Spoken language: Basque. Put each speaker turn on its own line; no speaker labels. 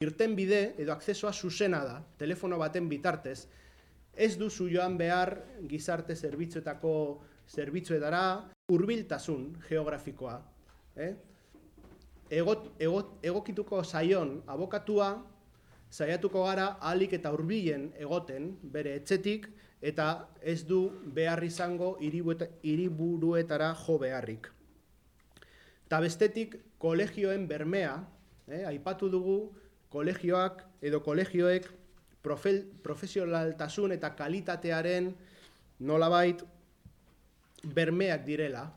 irtenbide edo akzesoa zuzena da, telefono baten bitartez, ez duzu joan behar gizarte zerbitzuetako zerbitzuetara hurbiltasun geografikoa. Egokituko zaion abokatua, saiatuko gara ahalik eta hurbilen egoten bere etxetik eta ez du behar izango hiriburuetara jo beharrik. Eta bestetik kolegioen bermea, aipatu dugu kolegioak edo kolegioek profesionaltasun eta kalitatearen nolabait bermeak direla.